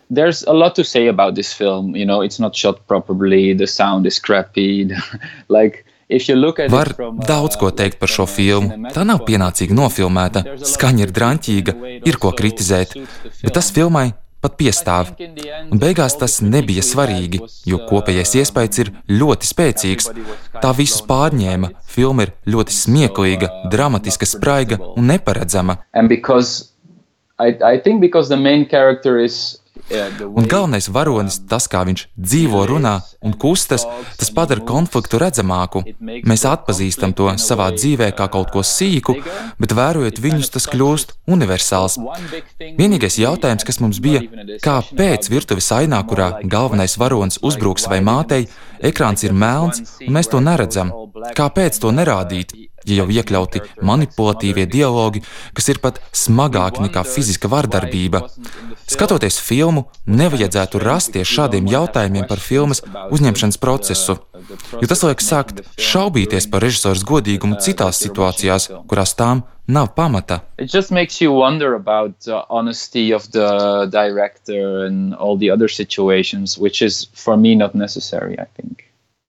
there's a lot to say about this film. You know, it's not shot properly, the sound is crappy. Like, if you look at Var it from, daudz ko teikt par šo filmu. Tā nav pienācīgi nofilmēta, skaņa ir draņķīga, ir ko kritizēt, bet tas filmai pat piestāv. Un beigās tas nebija svarīgi, jo kopējais iespējas ir ļoti spēcīgs. Tā visus pārņēma. Filma ir ļoti smieklīga, dramatiska, spraiga un neparedzama. And because I think because the main character is Un galvenais varonis, tas, kā viņš dzīvo, runā un kustas, tas padara konfliktu redzamāku. Mēs atpazīstam to savā dzīvē kā kaut ko sīku, bet vērojot viņus, tas kļūst universāls. Vienīgais jautājums, kas mums bija, kāpēc virtuves ainā, kurā galvenais varonis uzbrūk savai mātei, ekrāns ir melns un mēs to neredzam? Kāpēc to nerādīt? Ja jau iekļauti manipulatīvie dialogi, kas ir pat smagāki nekā fiziska vardarbība. Skatoties filmu, nevajadzētu rasties šādiem jautājumiem par filmas uzņemšanas procesu, jo tas liek sākt šaubīties par režisoras godīgumu citās situācijās, kurās tām nav pamata. It just makes you wonder about the honesty of the director and all the other situations, which is for me not necessary, I think.